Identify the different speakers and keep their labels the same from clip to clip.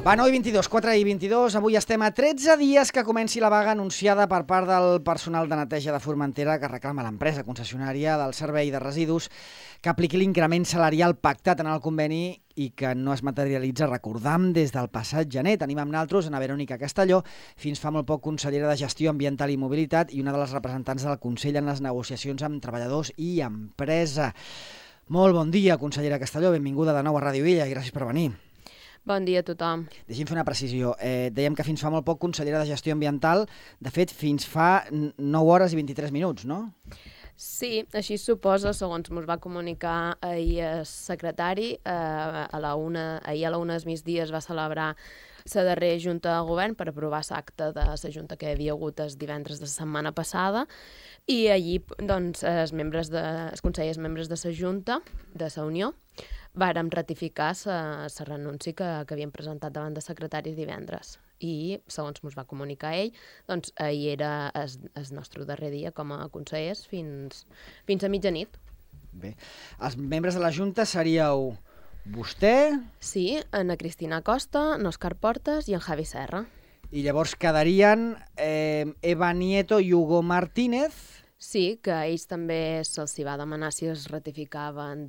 Speaker 1: Va, 9:22, 4:22, avui estem a 13 dies que comenci la vaga anunciada per part del personal de neteja de Formentera que reclama l'empresa concessionària del servei de residus que apliqui l'increment salarial pactat en el conveni i que no es materialitza, recordam, des del passat gener. Tenim amb naltros Ana Verònica Castelló, fins fa molt poc consellera de Gestió Ambiental i Mobilitat i una de les representants del Consell en les negociacions amb treballadors i empresa. Molt bon dia, consellera Castelló, benvinguda de nou a Ràdio Illa i gràcies per venir.
Speaker 2: Bon dia a tothom.
Speaker 1: Deixi'm fer una precisió. Dèiem que fins fa molt poc consellera de Gestió Ambiental, de fet, fins fa 9 hores i 23 minuts, no?
Speaker 2: Sí, així es suposa, segons ens va comunicar ahir el secretari. Ahir a la 1 del migdia es va celebrar la darrera Junta de Govern per aprovar l'acte de la Junta que hi havia hagut el divendres de la setmana passada i allí doncs, els consellers membres de la Junta, de la Unió, vàrem ratificar la renúncia que havien presentat davant de secretaris divendres. I, segons ens va comunicar ell, doncs ahir era el nostre darrer dia com a consellers fins a mitjanit.
Speaker 1: Bé, els membres de la Junta seríeu vostè...
Speaker 2: Sí, Ana Cristina Costa, Òscar Portas i en Javi Serra.
Speaker 1: I llavors quedarien Eva Nieto i Hugo Martínez.
Speaker 2: Sí, que a ells també se'ls va demanar si es ratificaven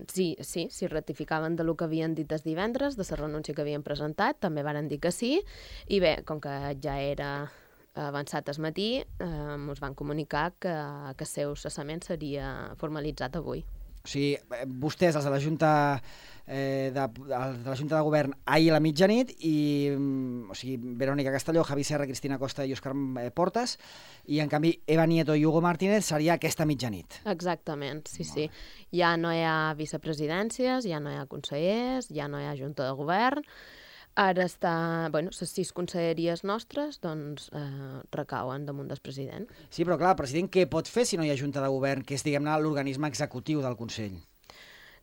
Speaker 2: si ratificaven del que havien dit els divendres, de la renúncia que havien presentat, també varen dir que sí, i bé, com que ja era avançat el matí, ens van comunicar que el seu cessament seria formalitzat avui.
Speaker 1: O sigui, vostès, els de la Junta de Govern, ahir a la mitjanit, i, o sigui, Verònica Castelló, Javi Serra, Cristina Costa i Òscar Portas, i en canvi Eva Nieto i Hugo Martínez seria aquesta mitjanit.
Speaker 2: Exactament, sí. Ja no hi ha vicepresidències, ja no hi ha consellers, ja no hi ha Junta de Govern. Ara les 6 conselleries nostres doncs, recauen damunt del president.
Speaker 1: Sí, però clar, el president què pot fer si no hi ha Junta de Govern, que és, diguem-ne, l'organisme executiu del Consell?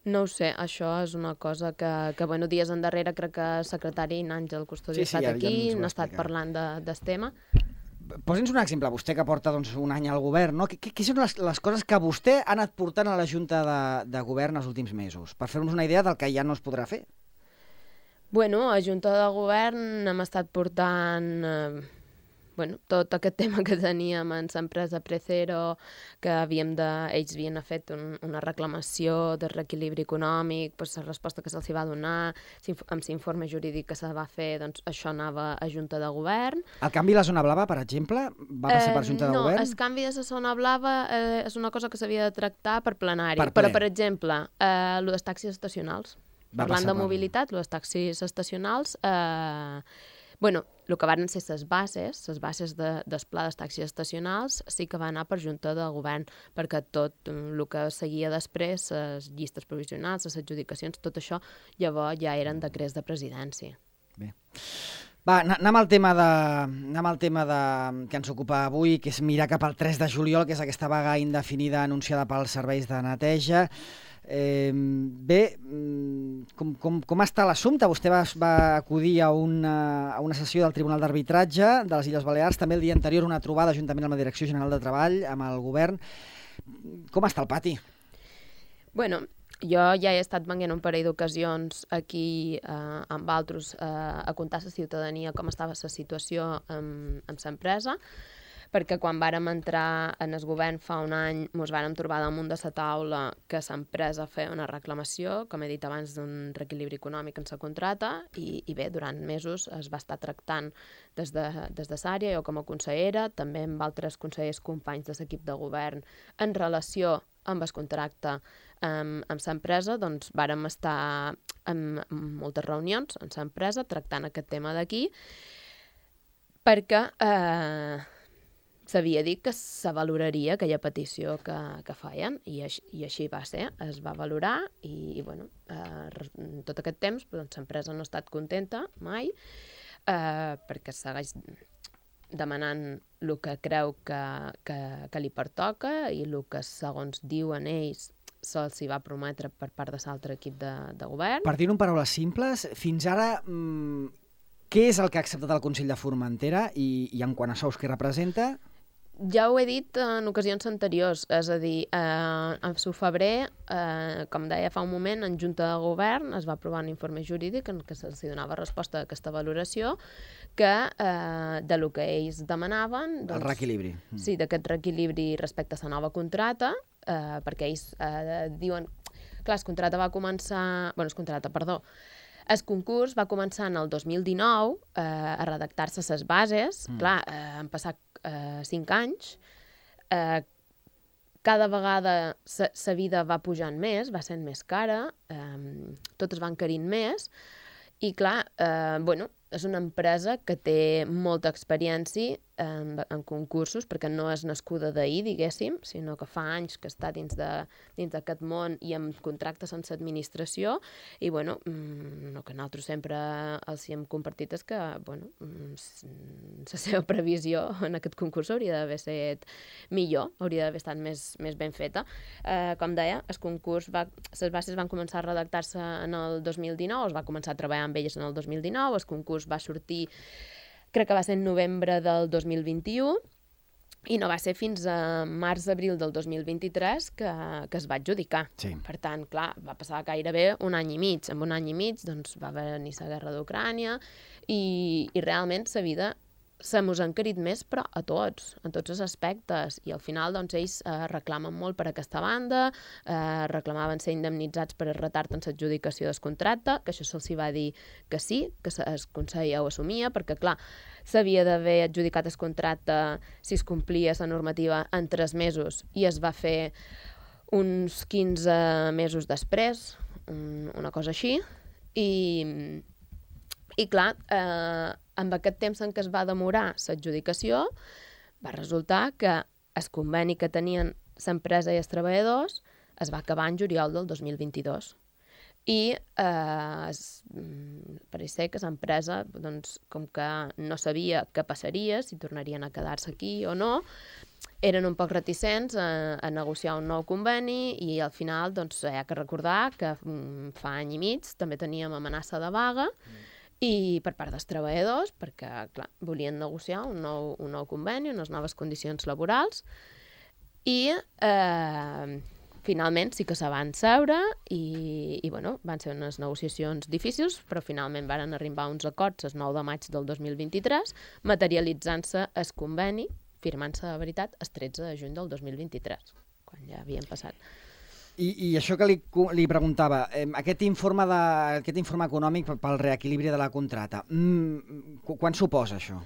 Speaker 2: No ho sé, això és una cosa que dies endarrere crec que el secretari Àngel Custodi ha estat aquí, n'ha estat parlant del tema.
Speaker 1: Posi'ns un exemple, vostè que porta un any al govern, no? Què són les coses que vostè ha anat portant a la Junta de Govern els últims mesos? Per fer-nos una idea del que ja no es podrà fer.
Speaker 2: Bueno, a Junta de Govern hem estat portant tot aquest tema que teníem en l'empresa Precero, que ells havien fet una reclamació de reequilibri econòmic, la resposta que se'ls va donar, amb l'informe jurídic que se va fer, doncs això anava a Junta de Govern.
Speaker 1: El canvi de la zona blava, per exemple, va passar per Junta de Govern?
Speaker 2: No, el canvi de la zona blava és una cosa que s'havia de tractar per plenari. Però, per exemple, el dels taxis estacionals. Parlant de mobilitat, les taxis estacionals, el que van ser les bases del pla dels taxis estacionals sí que va anar per Junta de Govern, perquè tot el que seguia després, les llistes provisionals, les adjudicacions, tot això llavors ja eren decrets de presidència.
Speaker 1: Bé. Va, anem al tema que ens ocupa avui, que és mirar cap al 3 de juliol, que és aquesta vaga indefinida anunciada pels serveis de neteja. Bé, com està l'assumpte? Vostè va acudir a una sessió del Tribunal d'Arbitratge de les Illes Balears, també el dia anterior una trobada juntament amb la Direcció General de Treball, amb el govern. Com està el pati?
Speaker 2: Bueno, jo ja he estat venint un parell d'ocasions aquí amb altres a contar a la ciutadania com estava la situació amb l'empresa, perquè quan vàrem entrar en el govern fa un any ens vàrem trobar damunt de la taula que l'empresa feia una reclamació, com he dit abans, d'un reequilibri econòmic en la contrata i bé, durant mesos es va estar tractant des de l'àrea, jo com a consellera, també amb altres consellers companys de l'equip de govern en relació amb el contracte amb l'empresa, doncs vàrem estar en moltes reunions amb l'empresa tractant aquest tema d'aquí perquè s'havia dit que se valoraria aquella petició que feien i així va ser, es va valorar i tot aquest temps l'empresa no ha estat contenta mai perquè segueix demanant el que creu que li pertoca i el que segons diuen ells se'ls va prometre per part de l'altre equip de govern.
Speaker 1: Per dir-ho en paraules simples, fins ara què és el que ha acceptat el Consell de Formentera i en quant a sous que representa?
Speaker 2: Ja ho he dit en ocasions anteriors, és a dir, en febrer, com deia fa un moment, en Junta de Govern es va aprovar un informe jurídic en què se'ls donava resposta a aquesta valoració que de lo que ells demanaven...
Speaker 1: El reequilibri.
Speaker 2: Sí, d'aquest reequilibri respecte a la nova contrata, perquè ells diuen... Clar, el concurs va començar en el 2019 a redactar-se les bases. Clar, han passat 5 anys. Cada vegada la vida va pujant més, va sent més cara, tot es va encarint més. I clar, és una empresa que té molta experiència en concursos, perquè no és nascuda d'ahir, diguéssim, sinó que fa anys que està dins d'aquest món i amb contractes amb l'administració. I, el que nosaltres sempre els hem compartit és que, la seva previsió en aquest concurs hauria d'haver estat millor, hauria d'haver estat més ben feta. Com deia, el concurs, les bases van començar a redactar-se en el 2019, es va començar a treballar amb elles en el 2019, el concurs va sortir, crec que va ser en novembre del 2021, i no va ser fins a març-abril del 2023 que es va adjudicar.
Speaker 1: Sí.
Speaker 2: Per tant, clar, va passar gairebé un any i mig. En un any i mig va venir la guerra d'Ucrània i realment la vida se mos ha encarit més, però a tots, en tots els aspectes. I al final, ells reclamen molt per aquesta banda, reclamaven ser indemnitzats per el retard en l'adjudicació del contracte, que això se'ls va dir que sí, que el Consell ja ho assumia, perquè, clar, s'havia d'haver adjudicat el contracte si es complia la normativa en 3 mesos, i es va fer uns 15 mesos després, una cosa així, i clar, amb aquest temps en què es va demorar l'adjudicació, va resultar que el conveni que tenien l'empresa i els treballadors es va acabar en juliol del 2022. I pareix ser que l'empresa, com que no sabia què passaria, si tornarien a quedar-se aquí o no, eren un poc reticents a negociar un nou conveni i al final hi ha que recordar que fa any i mig també teníem amenaça de vaga i per part dels treballadors, perquè, clar, volien negociar un nou conveni, unes noves condicions laborals, i finalment sí que se van seure i van ser unes negociacions difícils, però finalment van arribar a uns acords el 9 de maig del 2023, materialitzant-se el conveni, firmant-se de veritat el 13 de juny del 2023, quan ja havien passat.
Speaker 1: I això que li preguntava, aquest informe econòmic pel reequilibri de la contrata, quan suposa això?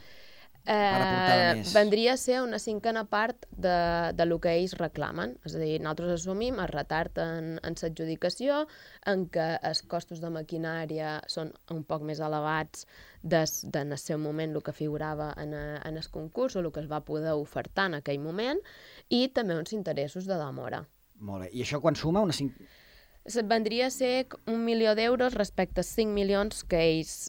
Speaker 2: Vendria a ser una 5a part de lo que ells reclamen. És a dir, nosaltres assumim el retard en l'adjudicació, en què els costos de maquinària són un poc més elevats en el seu moment, el que figurava en el concurs o el que es va poder ofertar en aquell moment, i també uns interessos de demora.
Speaker 1: Molt bé. I això quan suma una 5...
Speaker 2: Vendria a ser 1 milió d'euros respecte als 5 milions que ells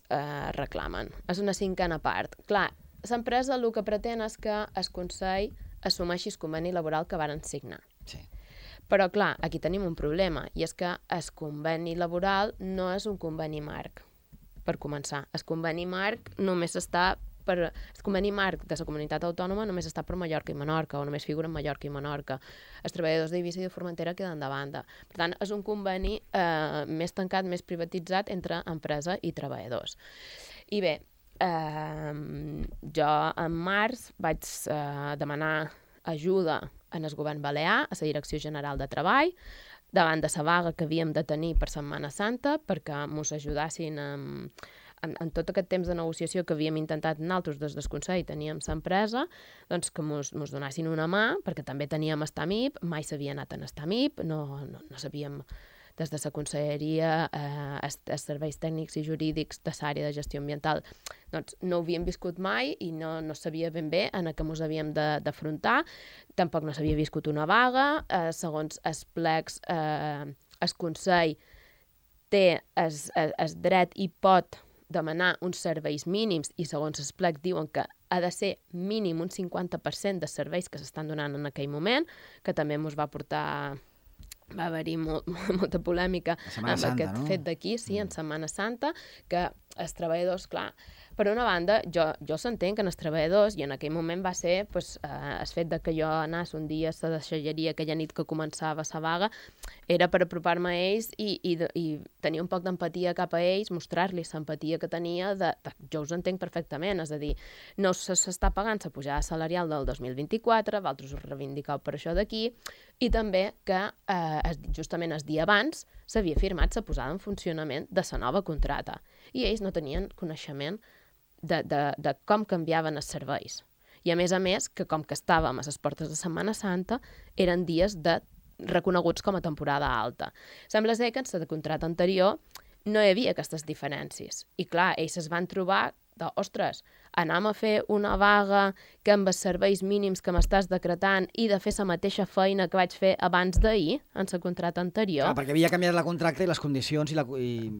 Speaker 2: reclamen. És una 5a part. Clar, l'empresa el que pretén és que el Consell assumeixi el conveni laboral que varen signar.
Speaker 1: Sí.
Speaker 2: Però, clar, aquí tenim un problema, i és que el conveni laboral no és un conveni marc, per començar. El conveni marc només està el conveni marc de la comunitat autònoma només està per Mallorca i Menorca, o només figuren Mallorca i Menorca. Els treballadors d'Eivissa i de Formentera queden de banda. Per tant, és un conveni més tancat, més privatitzat entre empresa i treballadors. I bé, jo en març vaig demanar ajuda en el govern balear, a la Direcció General de Treball, davant de la vaga que havíem de tenir per Setmana Santa, perquè mos ajudassin en tot aquest temps de negociació que havíem intentat nosaltres des del Consell, teníem l'empresa, doncs que mos donassin una mà, perquè també teníem Estamip, mai s'havia anat en Estamip, no sabíem des de la Conselleria, els serveis tècnics i jurídics de l'àrea de gestió ambiental, doncs no ho havíem viscut mai i no sabia ben bé en què ens havíem d'afrontar, tampoc no s'havia viscut una vaga, segons els plecs, el Consell té el dret i pot demanar uns serveis mínims i segons el plec diuen que ha de ser mínim un 50% de serveis que s'estan donant en aquell moment, que també ens va portar... Va haver-hi molta polèmica amb aquest fet d'aquí, sí, en Setmana Santa, que els treballadors, clar, per una banda, jo s'entenc que els treballadors, i en aquell moment va ser el fet de que jo anés un dia a la deixalleria aquella nit que començava la vaga, era per apropar-me a ells i tenir un poc d'empatia cap a ells, mostrar-los l'empatia que tenia, jo us entenc perfectament, és a dir, no s'està pagant la pujada salarial del 2024, vosaltres us reivindicau per això d'aquí, i també que justament el dia abans s'havia firmat la posada en funcionament de la nova contrata, i ells no tenien coneixement de com canviaven els serveis. I a més, que com que estàvem a les portes de Setmana Santa, eren dies reconeguts com a temporada alta. Sembla ser que en la contrata anterior no hi havia aquestes diferències. I clar, ells es van trobar ostres, anem a fer una vaga que amb els serveis mínims que m'estàs decretant i de fer la mateixa feina que vaig fer abans d'ahir, en la contrata anterior.
Speaker 1: Clar, perquè havia canviat la contracta i les condicions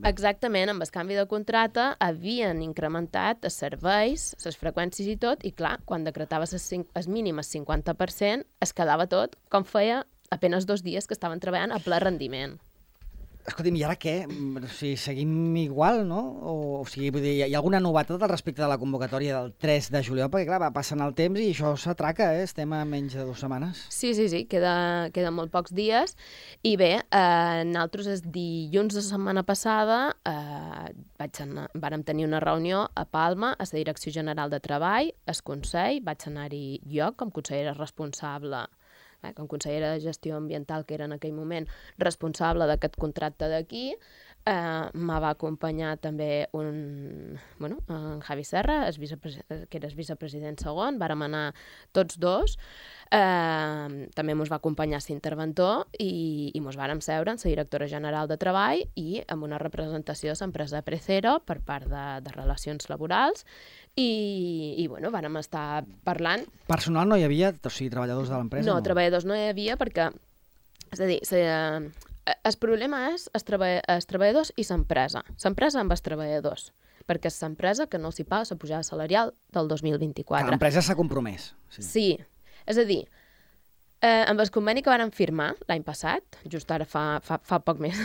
Speaker 2: Exactament, amb el canvi de contrata havien incrementat els serveis, les freqüències i tot, i clar, quan decretaves el mínim el 50%, es quedava tot com feia apenas 2 dies que estaven treballant a ple rendiment.
Speaker 1: Escolti'm, i ara què? O sigui, seguim igual, no? O sigui, vull dir, hi ha alguna novetat al respecte de la convocatòria del 3 de juliol? Perquè, clar, va passant el temps i això s'atraca, Estem a menys de 2 setmanes.
Speaker 2: Sí, queden molt pocs dies. I bé, nosaltres el dilluns de la setmana passada vàrem tenir una reunió a Palma, a la Direcció General de Treball, al Consell, vaig anar-hi jo com consellera responsable, com consellera de Gestió Ambiental, que era en aquell moment responsable d'aquest contracte d'aquí. Me va acompanyar també en Javi Serra, que era el vicepresident segon, vàrem anar tots dos. També ens va acompanyar l'interventor i ens vàrem seure amb la directora general de Treball i amb una representació de l'empresa Precero per part de Relacions Laborals i vàrem estar parlant.
Speaker 1: Personal no hi havia? O sigui, treballadors de l'empresa?
Speaker 2: No, treballadors no hi havia perquè, és a dir, el problema és els treballadors i l'empresa. L'empresa amb els treballadors, perquè és l'empresa que no s'hi paga la pujada salarial del 2024.
Speaker 1: Que l'empresa s'ha compromès.
Speaker 2: Sí. És a dir, amb el conveni que vàrem firmar l'any passat, just ara fa poc més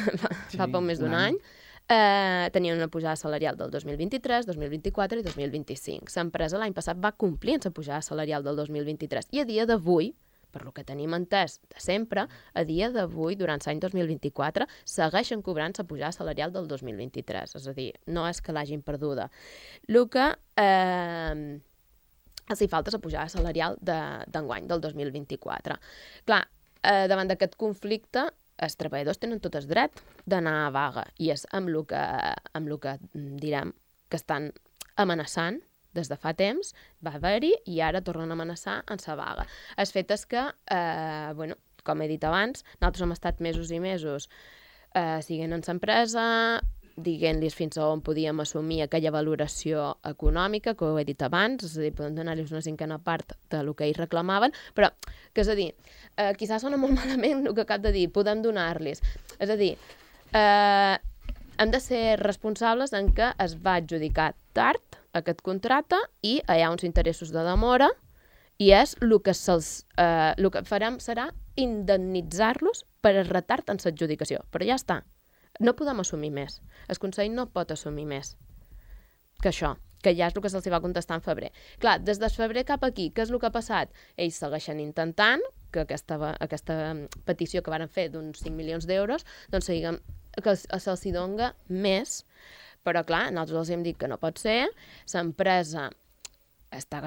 Speaker 2: d'un any, tenien una pujada salarial del 2023, 2024 i 2025. L'empresa l'any passat va complir amb la pujada salarial del 2023 i a dia d'avui, per lo que tenim entès de sempre, a dia d'avui, durant l'any 2024, segueixen cobrant la pujada salarial del 2023. És a dir, no és que l'hagin perduda. El que els hi falta la pujada salarial d'enguany, del 2024. Clar, davant d'aquest conflicte, els treballadors tenen tot el dret d'anar a vaga i és amb el que direm que estan amenaçant des de fa temps, va haver-hi i ara tornen a amenaçar en la vaga. El fet és que, com he dit abans, nosaltres hem estat mesos i mesos siguent en l'empresa, dient-los fins a on podíem assumir aquella valoració econòmica, que ho he dit abans, és a dir, podem donar-los una cinquena part del que ells reclamaven, però, que és a dir, quizás sona molt malament el que acabo de dir, podem donar-los. És a dir, hem de ser responsables en què es va adjudicar tard aquest contracte i hi ha uns interessos de demora i és el que farem serà indemnitzar-los per el retard en l'adjudicació. Però ja està. No podem assumir més. El Consell no pot assumir més que això, que ja és el que se'ls va contestar en febrer. Clar, des de febrer cap aquí, què és el que ha passat? Ells segueixen intentant que aquesta petició que varen fer d'uns 5 milions d'euros, doncs que se'ls doni més. Però, clar, nosaltres els hem dit que no pot ser, l'empresa està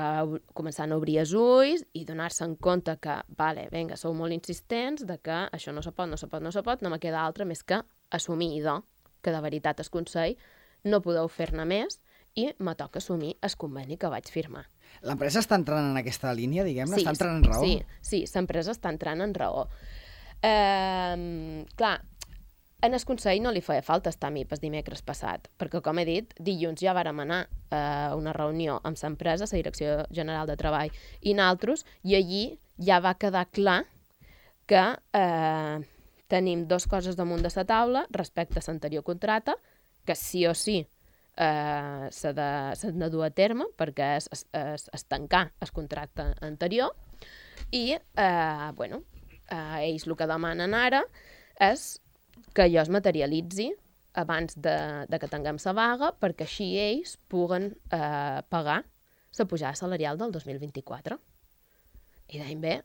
Speaker 2: començant a obrir els ulls i donar-se en compte que, vinga, sou molt insistents, de que això no se pot, no me queda altra més que assumir que de veritat el Consell no podeu fer-ne més i me toca assumir el conveni que vaig firmar.
Speaker 1: L'empresa està entrant en aquesta línia, diguem-ne? Està entrant en raó?
Speaker 2: Sí, l'empresa està entrant en raó. Clar, en el Consell no li feia falta estar amb el dimecres passat, perquè, com he dit, dilluns ja vàrem anar a una reunió amb l'empresa, la Direcció General de Treball i nosaltres, i allí ja va quedar clar que tenim 2 coses damunt de la taula respecte a l'anterior contracte, que sí o sí s'ha de dur a terme, perquè és tancar el contracte anterior, i, ells el que demanen ara és que allò es materialitzi abans de que tinguem la vaga, perquè així ells puguen pagar la pujada salarial del 2024. I deim bé,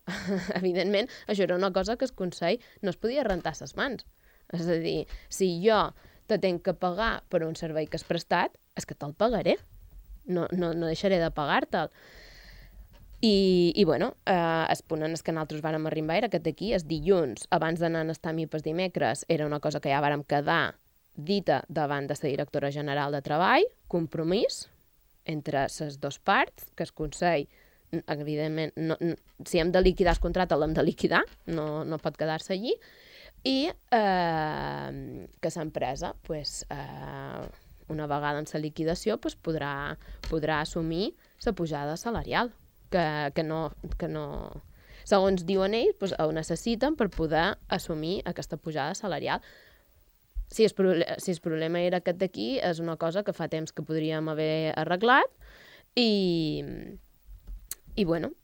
Speaker 2: evidentment, això era una cosa que el Consell no es podia rentar les mans. És a dir, si jo te tenc que pagar per un servei que has prestat, és que te'l pagaré. No deixaré de pagar-te'l. I bueno, el punt en què nosaltres vàrem arribar era aquest d'aquí, el dilluns, abans d'anar a estar el dimecres, era una cosa que ja vàrem quedar dita davant de la directora general de Treball, compromís entre les dues parts, que el Consell, evidentment, si hem de liquidar el contracte, l'hem de liquidar, no pot quedar-se allí, i que l'empresa, una vegada en la liquidació, podrà assumir la pujada salarial, que no segons diuen ells, ho necessiten per poder assumir aquesta pujada salarial. Si el problema era aquest d'aquí, és una cosa que fa temps que podríem haver arreglat i bueno,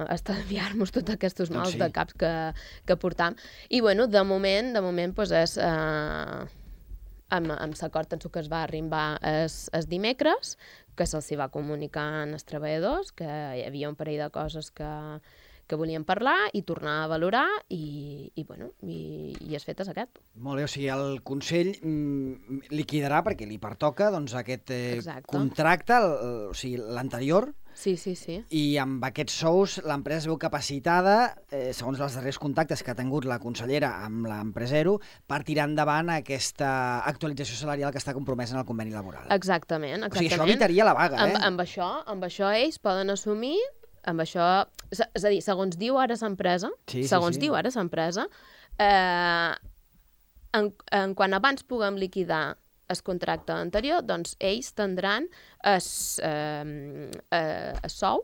Speaker 2: estalviar-nos tots aquests mals de caps que portam. I bueno, de moment és amb l'acord en què es va arribar el dimecres, que se'ls va comunicar als treballadors, que hi havia un parell de coses que volien parlar i tornar a valorar i el fet és aquest.
Speaker 1: Molt bé, o sigui, el Consell liquidarà, perquè li pertoca, doncs, aquest contracte, o sigui, l'anterior.
Speaker 2: Sí.
Speaker 1: I amb aquests sous l'empresa es veu capacitada, segons els darrers contactes que ha tingut la consellera amb l'empresero, per tirar endavant aquesta actualització salarial que està compromesa en el conveni laboral.
Speaker 2: Exactament.
Speaker 1: O sigui, això evitaria la vaga,
Speaker 2: Amb això ells poden assumir, amb això, és a dir, segons diu ara l'empresa, en quan abans puguem liquidar el contracte anterior, doncs ells tindran el sou,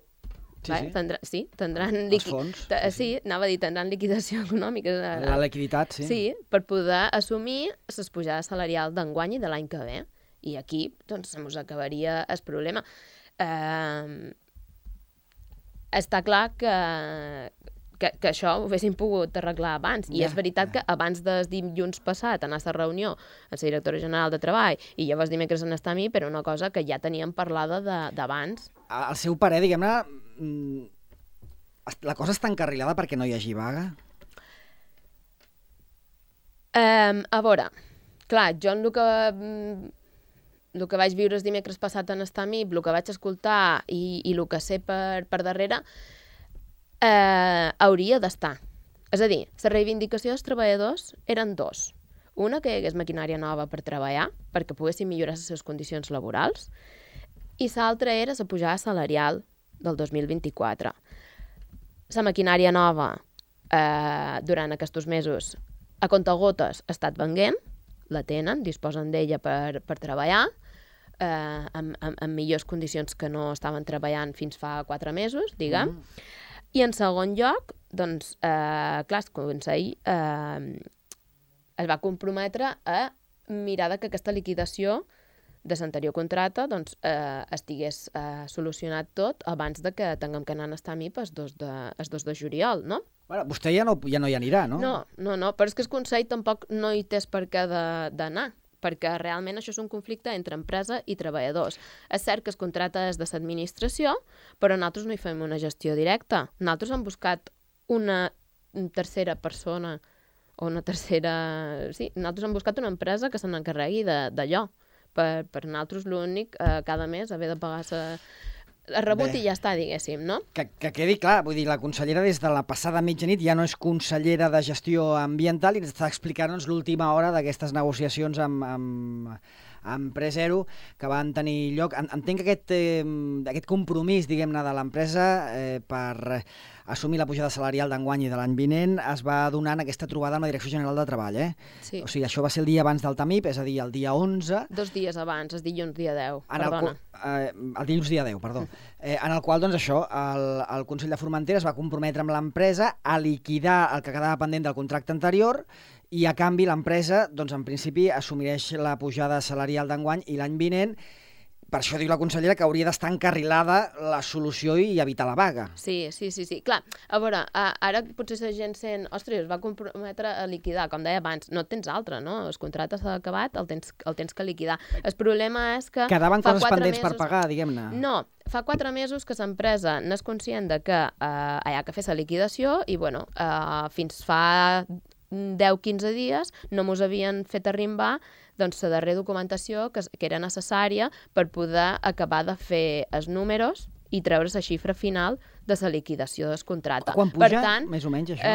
Speaker 2: tindran
Speaker 1: els fons.
Speaker 2: Anava a dir, tindran liquidació econòmica.
Speaker 1: La liquiditat, sí.
Speaker 2: Sí, per poder assumir les pujades salarials d'enguany i de l'any que ve. I aquí, doncs, ens acabaria el problema. Està clar que això ho haguéssim pogut arreglar abans. I és veritat que abans del dilluns passat anar a la reunió amb la directora general de Treball i llavors dimecres en estar a mi, però una cosa que ja teníem parlada d'abans.
Speaker 1: Al seu parer, diguem-ne, la cosa està encarrilada perquè no hi hagi vaga?
Speaker 2: A veure, clar, jo el que vaig viure el dimecres passat en estar a mi, el que vaig escoltar i el que sé per darrere, hauria d'estar. És a dir, la reivindicació dels treballadors eren dos. Una, que hi hagués maquinària nova per treballar, perquè poguessin millorar les seves condicions laborals, i l'altra era la pujada salarial del 2024. La maquinària nova, durant aquests mesos, a comptagotes ha estat venent, la tenen, disposen d'ella per treballar, amb millors condicions que no estaven treballant fins fa 4 mesos, diguem. I en segon lloc, doncs, clar, el Consell es va comprometre a mirar que aquesta liquidació de l'anterior contracte doncs, estigués solucionat tot abans de que tinguem que anar a estar a mi el 2 de juliol, no?
Speaker 1: Bueno, vostè ja no hi anirà, no?
Speaker 2: No, però és que el Consell tampoc no hi té per què d'anar, perquè realment això és un conflicte entre empresa i treballadors. És cert que el contracte és de l'administració, però nosaltres no hi fem una gestió directa. Nosaltres hem buscat una tercera persona o una tercera... Sí, nosaltres hem buscat una empresa que se n'encarregui d'allò. Per nosaltres l'únic, cada mes, haver de pagar el rebut i ja està, diguéssim, no?
Speaker 1: Que quedi clar, vull dir, la consellera des de la passada mitjanit ja no és consellera de gestió ambiental i ens està explicant l'última hora d'aquestes negociacions amb Empresero que van tenir lloc. Entenc que aquest compromís, diguem-ne, de l'empresa per assumir la pujada salarial d'enguany i de l'any vinent es va donar en aquesta trobada amb la Direcció General de Treball,
Speaker 2: Sí.
Speaker 1: O sigui, això va ser el dia abans del TAMIP, és a dir, el dia 11...
Speaker 2: 2 dies abans, el dilluns dia 10, perdona.
Speaker 1: El dilluns dia 10, perdó. En el qual, doncs, això, el Consell de Formentera es va comprometre amb l'empresa a liquidar el que quedava pendent del contracte anterior i, a canvi, l'empresa, doncs, en principi, assumireix la pujada salarial d'enguany i l'any vinent, per això diu la consellera que hauria d'estar encarrilada la solució i evitar la vaga.
Speaker 2: Sí. Clar, a veure, ara potser la gent sent, ostres, es va comprometre a liquidar, com deia abans, no tens altre, no? El contracte s'ha acabat, el tens que liquidar. El problema és que...
Speaker 1: Quedaven coses pendents per pagar, diguem-ne.
Speaker 2: No, fa 4 mesos que l'empresa n'és conscient de que hi ha que fer la liquidació i, bueno, fins fa 10-15 dies no mos havien fet arrimbar doncs, la darrera documentació que era necessària per poder acabar de fer els números i treure la xifra final de la liquidació del contracte.
Speaker 1: Quan puja, més o menys, això?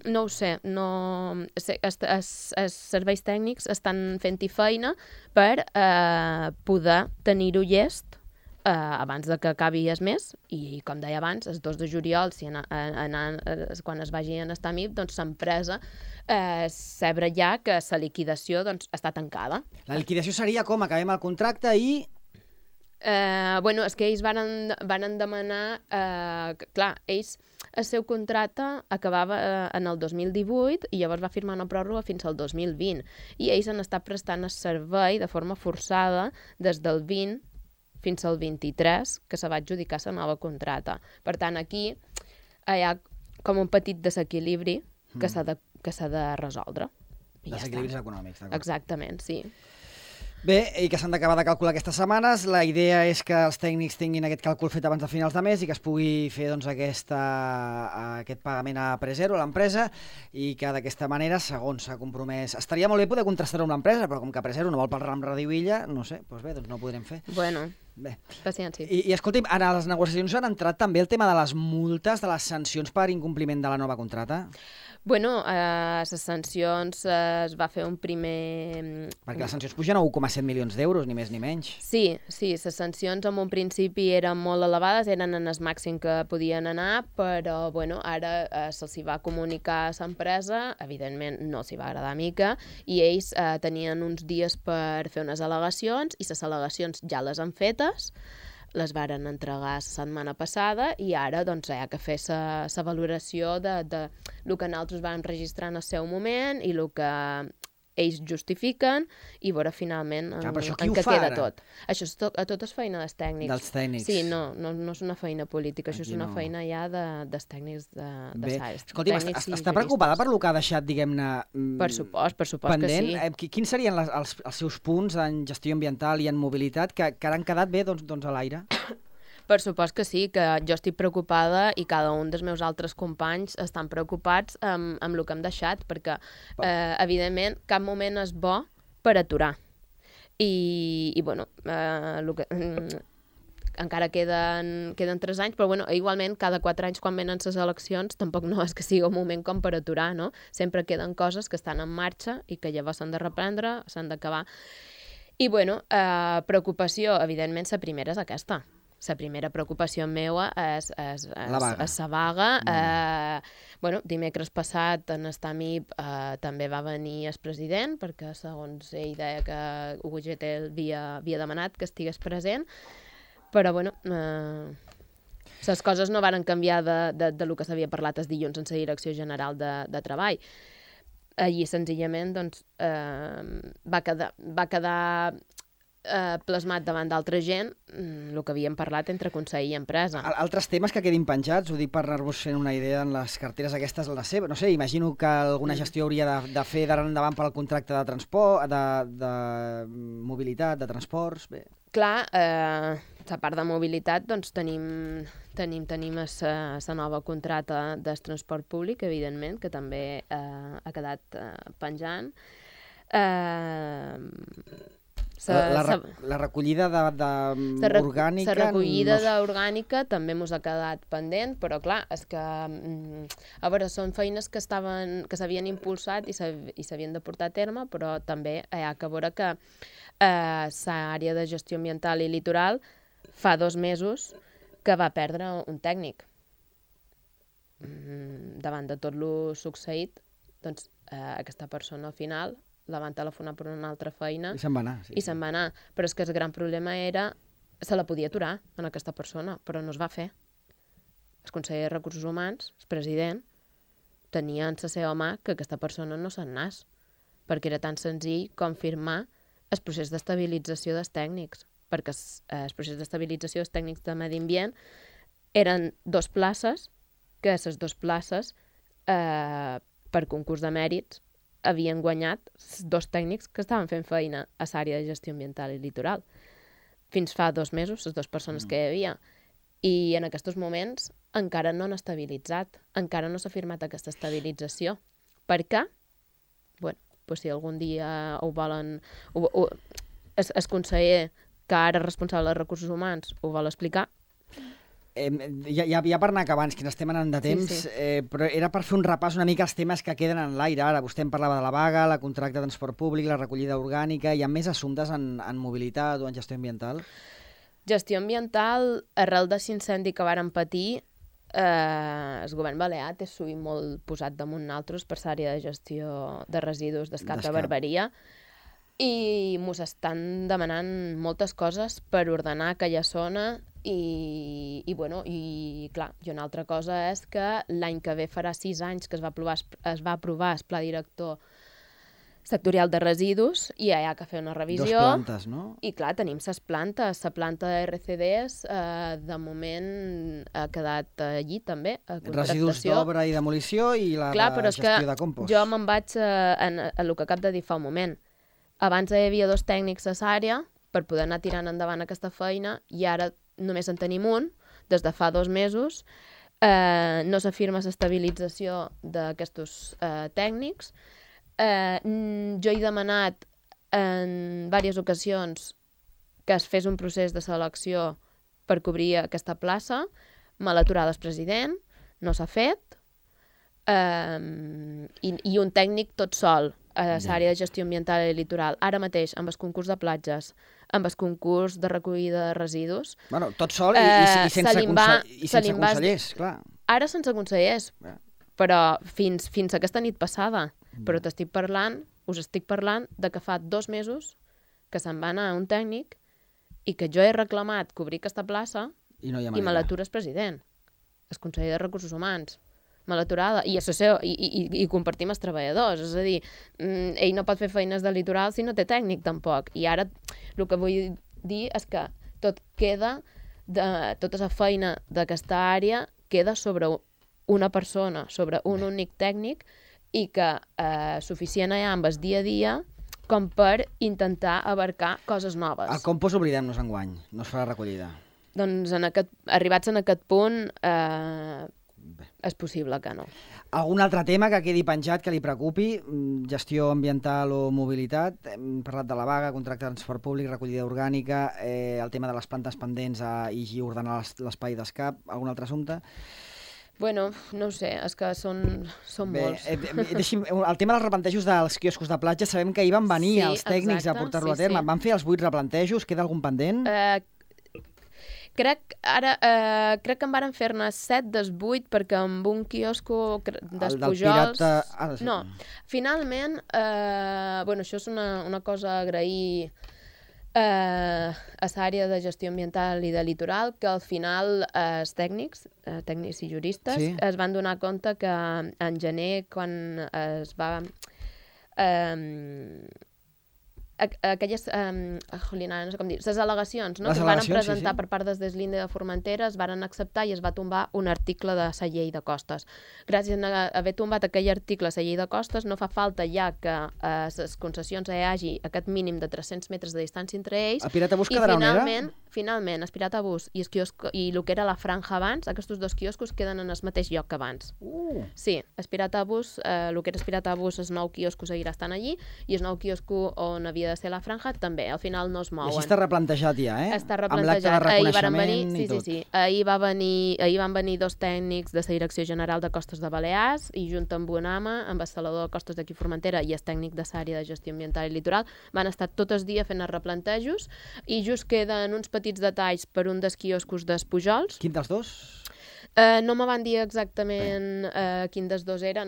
Speaker 2: No ho sé. Els serveis tècnics estan fent-hi feina per poder tenir-ho llest abans de que acabi el mes, i com deia abans, el 2 de juliol, quan es vagi a estar MIP, doncs l'empresa sabrà ja que la liquidació està tancada.
Speaker 1: La liquidació seria com? Acabem el contracte i...
Speaker 2: És que ells van demanar... clar, ells, el seu contracte acabava en el 2018 i llavors va firmar una pròrroga fins al 2020. I ells han estat prestant el servei de forma forçada des del 20 fins al 23, que se va adjudicar la nova contracte. Per tant, aquí hi ha com un petit desequilibri que s'ha de resoldre.
Speaker 1: Desequilibris econòmics, d'acord.
Speaker 2: Exactament, sí.
Speaker 1: Bé, i que s'han d'acabar de calcular aquestes setmanes. La idea és que els tècnics tinguin aquest càlcul fet abans de finals de mes i que es pugui fer doncs, aquest pagament a Presero, a l'empresa, i que d'aquesta manera, segons s'ha compromès... Estaria molt bé poder contrastar-ho amb l'empresa, però com que Presero no vol pel ram Ràdio Illa, no sé, doncs bé, doncs no ho podrem fer.
Speaker 2: Bueno,
Speaker 1: bé.
Speaker 2: Paciència.
Speaker 1: I escolti'm, a les negociacions han entrat també el tema de les multes, de les sancions per incompliment de la nova contracta?
Speaker 2: Bueno, les sancions es va fer un primer...
Speaker 1: Perquè les sancions pugen a 1,7 milions d'euros, ni més ni menys.
Speaker 2: Sí, les sancions en un principi eren molt elevades, eren en el màxim que podien anar, però bueno, ara se'ls va comunicar a l'empresa, evidentment no s'hi va agradar mica, i ells tenien uns dies per fer unes al·legacions, i les al·legacions ja les han fetes, les varen entregar la setmana passada i ara doncs, hi ha que fer la valoració de el que nosaltres vam registrar en el seu moment i el que ells justifiquen i veure finalment en què queda tot. Això tot és feina dels tècnics.
Speaker 1: Dels tècnics.
Speaker 2: Sí, no és una feina política, això és una feina ja dels tècnics de SAES.
Speaker 1: Escolti'm, està preocupada per lo que ha deixat, diguem-ne,
Speaker 2: per supost
Speaker 1: pendent?
Speaker 2: Que sí.
Speaker 1: Quins serien els seus punts en gestió ambiental i en mobilitat que han quedat bé doncs, a l'aire?
Speaker 2: Per supost que sí, que jo estic preocupada i cada un dels meus altres companys estan preocupats amb el que hem deixat, perquè, evidentment, cap moment és bo per aturar. I bueno, encara queden 3 anys, però bueno, igualment, cada 4 anys, quan venen les eleccions, tampoc no és que sigui un moment com per aturar, no? Sempre queden coses que estan en marxa i que llavors s'han de reprendre, s'han d'acabar. I bueno, preocupació, evidentment, la primera és aquesta. La primera preocupació meva és la vaga. Bueno, dimecres passat en Estamip també va venir el president, perquè segons ell deia que UGT havia demanat que estigués present, però bueno, les coses no varen canviar de lo que s'havia parlat el dilluns en la Direcció General de Treball. Allí senzillament doncs, va quedar plasmat davant d'altra gent el que havíem parlat entre Consell i empresa.
Speaker 1: Altres temes que quedin penjats, ho dic per anar-vos fent una idea en les carteres aquestes, la seva, no sé, imagino que alguna gestió hauria de fer d'ara endavant pel contracte de transport, de mobilitat, de transports, bé.
Speaker 2: Clar, a part de mobilitat, doncs tenim la nova contracta del transport públic, evidentment, que també ha quedat penjant.
Speaker 1: La recollida d'orgànica...
Speaker 2: La recollida d'orgànica també ens ha quedat pendent, però clar, és que a veure, són feines que s'havien impulsat i s'havien de portar a terme, però també hi ha que veure que l'àrea de gestió ambiental i litoral fa 2 mesos que va perdre un tècnic. Davant de tot el succeït, doncs aquesta persona al final la van telefonar per una altra feina
Speaker 1: i se'n va anar.
Speaker 2: I se'n va anar. Però és que el gran problema era se la podia aturar en aquesta persona, però no es va fer. El conseller de Recursos Humans, el president, tenia en la seva mà que aquesta persona no se'n anés, perquè era tan senzill com firmar el procés d'estabilització dels tècnics. perquè el procés d'estabilització dels tècnics de medi ambient eren 2 places, que les 2 places, per concurs de mèrits, havien guanyat 2 tècnics que estaven fent feina a l'àrea de gestió ambiental i litoral. Fins fa 2 mesos, les 2 persones que hi havia. I en aquests moments encara no han estabilitzat, encara no s'ha firmat aquesta estabilització. Per què? Bueno, doncs si algun dia ho volen... El conseller, que ara és responsable de recursos humans, ho vol explicar.
Speaker 1: Ja per anar acabant, que ens estem anant de temps, però era per fer un repàs una mica als temes que queden en l'aire. Ara vostè em parlava de la vaga, la contracte de transport públic, la recollida orgànica. Hi ha més assumptes en mobilitat o en gestió ambiental?
Speaker 2: Gestió ambiental, arrel de l'incendi que varen patir, el govern balear té sovint molt posat damunt nosaltres per l'àrea de gestió de residus d'Escap de Barberia, i mos estan demanant moltes coses per ordenar aquella zona i clar, i una altra cosa és que l'any que ve farà 6 anys que es va aprovar el Pla Director sectorial de residus i hi ha que fer una revisió.
Speaker 1: 2 plantes, no? I
Speaker 2: clar, tenim les plantes. La planta de RCDs de moment ha quedat allí també, a contractació.
Speaker 1: Residus d'obra i demolició i la gestió de compost.
Speaker 2: Jo me'n vaig a el que acabo de dir fa un moment. Abans hi havia 2 tècnics a l'àrea per poder anar tirant endavant aquesta feina i ara només en tenim un, des de fa 2 mesos. No s'afirma l'estabilització d'aquests tècnics. Jo he demanat en diverses ocasions que es fes un procés de selecció per cobrir aquesta plaça. Me l'ha aturat el president, no s'ha fet, i un tècnic tot sol a l'àrea de gestió ambiental i litoral. Ara mateix, amb el concurs de platges, amb el concurs de recollida de residus...
Speaker 1: Bueno, tot sol i sense consellers, clar.
Speaker 2: Ara sense consellers, però fins aquesta nit passada. Però us estic parlant de que fa 2 mesos que se'n va anar un tècnic i que jo he reclamat cobrir aquesta plaça i me l'atura el president, el conseller de Recursos Humans. Me l'aturada. I compartim els treballadors. És a dir, ell no pot fer feines de litoral si no té tècnic, tampoc. I ara el que vull dir és que tota la feina d'aquesta àrea queda sobre una persona, sobre un únic tècnic, i que suficient hi ha amb el dia a dia com per intentar abarcar coses noves.
Speaker 1: El compost oblidem-nos enguany, no es farà recollida.
Speaker 2: Doncs arribats en aquest punt és possible que no.
Speaker 1: Algun altre tema que quedi penjat que li preocupi? Gestió ambiental o mobilitat? Hem parlat de la vaga, contracte de transport públic, recollida orgànica, el tema de les plantes pendents i ordenar l'espai d'escap. Algun altre assumpte?
Speaker 2: Bueno, no ho sé, és que són molts.
Speaker 1: El tema dels replantejos dels quioscos de platja, sabem que hi van venir els tècnics a portar-lo a terme. Van fer els 8 replantejos? Queda algun pendent?
Speaker 2: Crec que en varen fer-ne 7 dels 8 perquè amb un quiosco dels Pujols... No, finalment, això és una cosa a agrair a l'àrea de gestió ambiental i de litoral, que al final els tècnics i juristes es van donar compte que en gener, quan es va... aquelles, no sé com dir, les al·legacions que es van presentar per part des l'Inde de Formentera es van acceptar i es va tombar un article de la llei de costes. Gràcies a haver tombat aquell article a la llei de costes no fa falta ja que a les concessions hi hagi aquest mínim de 300 metres de distància entre ells.
Speaker 1: El Piratbús quedarà on era?
Speaker 2: Finalment, el Piratbús i el que era la franja abans, aquests 2 quioscos queden en el mateix lloc que abans. Sí, el Piratbús, el que era el Piratbús, el nou quiosco seguirà estant allí i el nou quiosco on havia de ser la franja també, al final no es mouen.
Speaker 1: I així està replantejat ja,
Speaker 2: Està replantejat.
Speaker 1: Amb l'acte de reconeixement i tot.
Speaker 2: Sí. Ahir van venir 2 tècnics de la Direcció General de Costes de Balears i junt amb un home, amb el salador de costes d'aquí Formentera i el tècnic de l'àrea de gestió ambiental i litoral, van estar tot el dia fent els replantejos i just queden uns petits detalls per un dels quioscos dels Pujols.
Speaker 1: Quin dels 2?
Speaker 2: No me van dir exactament quin dels 2 era.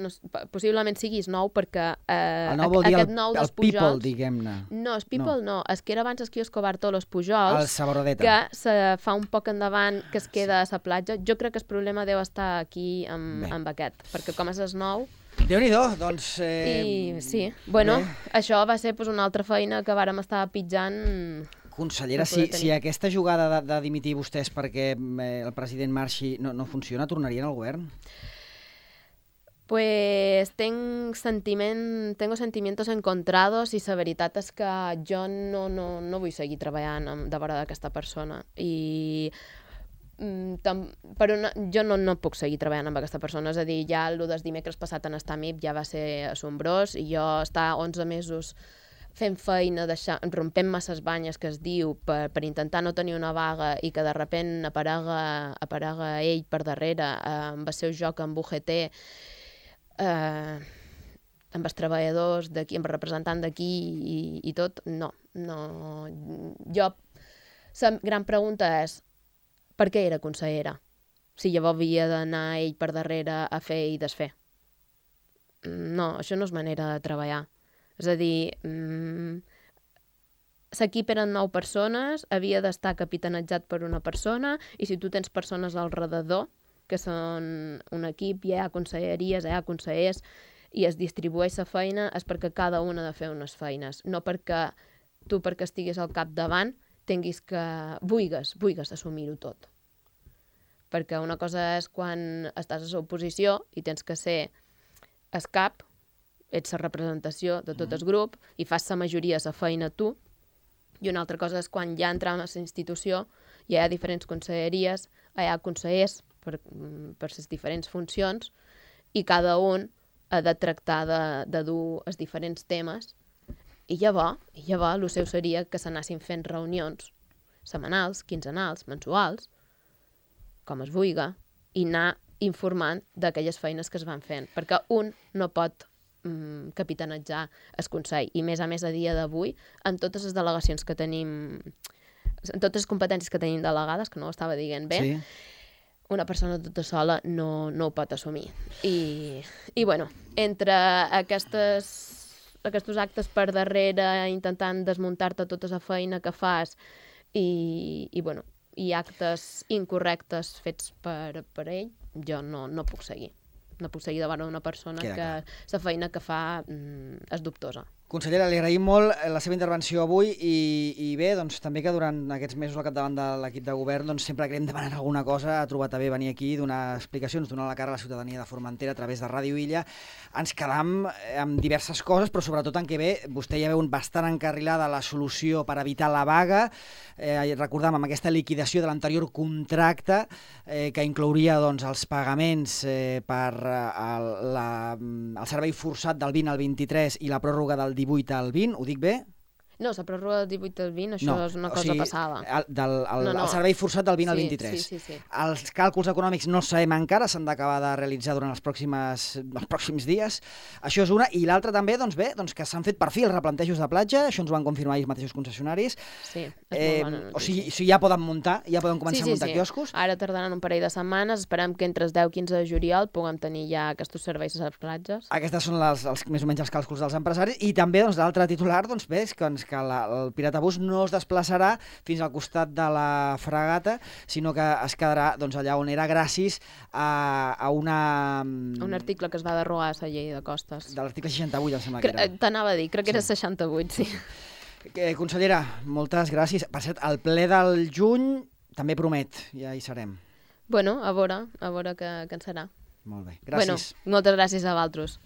Speaker 2: Possiblement sigui el nou, perquè
Speaker 1: el nou vol dir el People, diguem-ne.
Speaker 2: No, el People no. Es que era abans el quiosco Bartolos Pujols,
Speaker 1: el Saborodeta,
Speaker 2: que se fa un poc endavant, que es queda a la platja. Jo crec que el problema deu estar aquí amb aquest, perquè com és el nou...
Speaker 1: Déu-n'hi-do, doncs...
Speaker 2: Sí, això va ser una altra feina que vàrem estar pitjant...
Speaker 1: Consellera, si aquesta jugada de dimitir vostès perquè el president marxi no funciona, tornarien al govern?
Speaker 2: Pues tengo sentimientos encontrados i la veritat és que jo no vull seguir treballant de vora d'aquesta persona i jo no puc seguir treballant amb aquesta persona, és a dir, ja el del dimecres passat en estar MIP ja va ser assombrós i jo estar 11 mesos fent feina, rompent masses banyes que es diu per intentar no tenir una vaga i que de sobte aparega ell per darrere amb el seu joc amb UGT, amb els treballadors d'aquí, amb el representant d'aquí i tot, no. La gran pregunta és per què era consellera? Si llavors havia d'anar ell per darrere a fer i desfer. No, això no és manera de treballar. És a dir, l'equip eren 9 persones, havia d'estar capitanejat per una persona i si tu tens persones al redador que són un equip, hi ha conselleries, hi ha consellers, i es distribueix la feina, és perquè cada un ha de fer unes feines, no perquè tu, perquè estiguis al capdavant, vulguis assumir-ho tot. Perquè una cosa és quan estàs a l'oposició i tens que ser el cap, ets la representació de tot el grup i fas la majoria de la feina tu, i una altra cosa és quan ja entrem a la institució, hi ha diferents conselleries, hi ha consellers per les diferents funcions i cada un ha de tractar de dur els diferents temes i llavors el seu seria que s'anessin fent reunions setmanals, quinzenals, mensuals, com es vulgui, i anar informant d'aquelles feines que es van fent, perquè un no pot capitanejar el Consell i a més a dia d'avui, amb totes les delegacions que tenim, amb totes les competències que tenim delegades, que no ho estava dient bé, sí. Una persona tota sola no ho pot assumir. I bueno, entre aquests actes per darrere, intentant desmuntar-te tota la feina que fas i actes incorrectes fets per ell, jo no puc seguir. No puc seguir davant d'una persona que la feina que fa és dubtosa.
Speaker 1: Consellera, li agraïm molt la seva intervenció avui i bé, doncs també que durant aquests mesos al capdavant de l'equip de govern doncs sempre que anem demanant alguna cosa ha trobat a bé venir aquí, donar explicacions, donar la cara a la ciutadania de Formentera a través de Ràdio Illa. Ens quedam amb diverses coses, però sobretot en què bé, vostè ja veu bastant encarrilada la solució per evitar la vaga. Recordam, amb aquesta liquidació de l'anterior contracte que inclouria doncs, els pagaments per el servei forçat del 20 al 23 i la pròrroga del 18 al 20, ho dic bé?
Speaker 2: No, la pròrroga del 18 al 20, això és una cosa passada.
Speaker 1: El servei forçat del 20 al 23.
Speaker 2: Sí.
Speaker 1: Els càlculs econòmics no sabem encara, s'han d'acabar de realitzar durant els pròxims dies. Això és una. I l'altra també, doncs bé, que s'han fet per fi els replantejos de platja, això ens ho van confirmar ells mateixos concessionaris.
Speaker 2: Sí, és molt bona notícia.
Speaker 1: O sigui, ja poden muntar, ja poden començar a muntar quioscos.
Speaker 2: Ara tardaran un parell de setmanes, esperem que entre el 10 i 15 de juliol puguem tenir ja aquests serveis a les platges.
Speaker 1: Aquestes són més o menys els càlculs dels empresaris. I també l'altre titular, doncs bé, que el Piratabús no es desplaçarà fins al costat de la fragata, sinó que es quedarà allà on era gràcies a un
Speaker 2: article que es va derogar a la llei de costes.
Speaker 1: De l'article 68, em sembla que era.
Speaker 2: T'anava a dir, crec que era 68, sí.
Speaker 1: Consellera, moltes gràcies. Per cert, el ple del juny també promet, ja hi serem.
Speaker 2: Bueno, a veure què en serà.
Speaker 1: Molt bé, gràcies.
Speaker 2: Bueno, moltes gràcies a vosaltres.